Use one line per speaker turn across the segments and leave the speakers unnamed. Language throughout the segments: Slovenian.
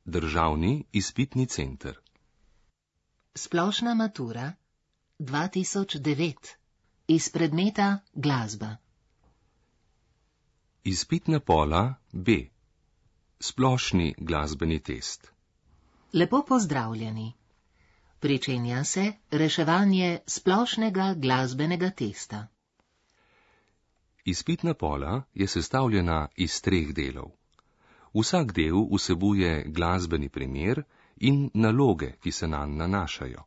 Državni izpitni center.
Splošna matura 2009 iz predmeta glasba.
Izpitna pola B. Splošni glasbeni test.
Lepo pozdravljeni. Pričenja se reševanje splošnega glasbenega testa.
Izpitna pola je sestavljena iz 3 delov. Vsak del vsebuje glasbeni primer in naloge, ki se nanj nanašajo.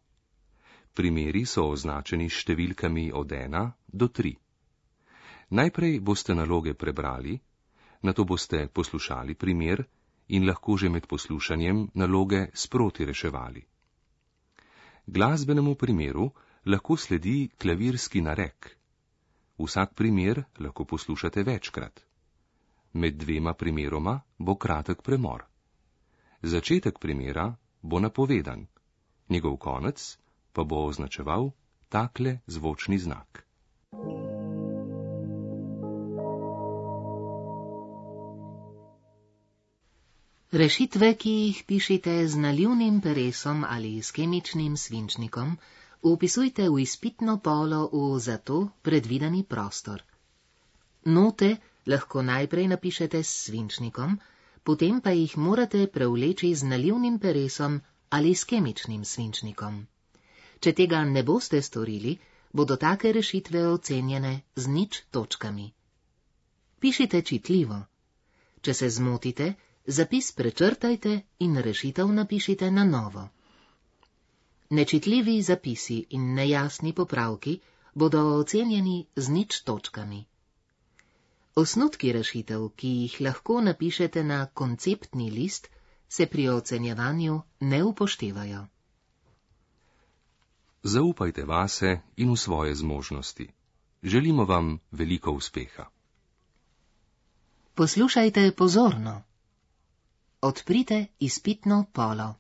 Primeri so označeni s številkami od 1 do 3. Najprej boste naloge prebrali, nato boste poslušali primer in lahko že med poslušanjem naloge sproti reševali. Glasbenemu primeru lahko sledi klavirski narek. Vsak primer lahko poslušate večkrat. Med 2 primeroma bo kratek premor. Začetek primera bo napovedan, njegov konec pa bo označeval takle zvočni znak.
Rešitve, ki jih pišite z nalivnim peresom ali s kemičnim svinčnikom, vpisujte v izpitno polo v za to predvideni prostor. Note lahko najprej napišete s svinčnikom, potem pa jih morate prevleči z nalivnim peresom ali s kemičnim svinčnikom. Če tega ne boste storili, bodo take rešitve ocenjene z 0 točkami. Pišite čitljivo. Če se zmotite, zapis prečrtajte in rešitev napišite na novo. Nečitljivi zapisi in nejasni popravki bodo ocenjeni z 0 točkami. Osnutki rešitev, ki jih lahko napišete na konceptni list, se pri ocenjevanju ne upoštevajo.
Zaupajte vase in v svoje zmožnosti. Želimo vam veliko uspeha.
Poslušajte pozorno. Odprite izpitno polo.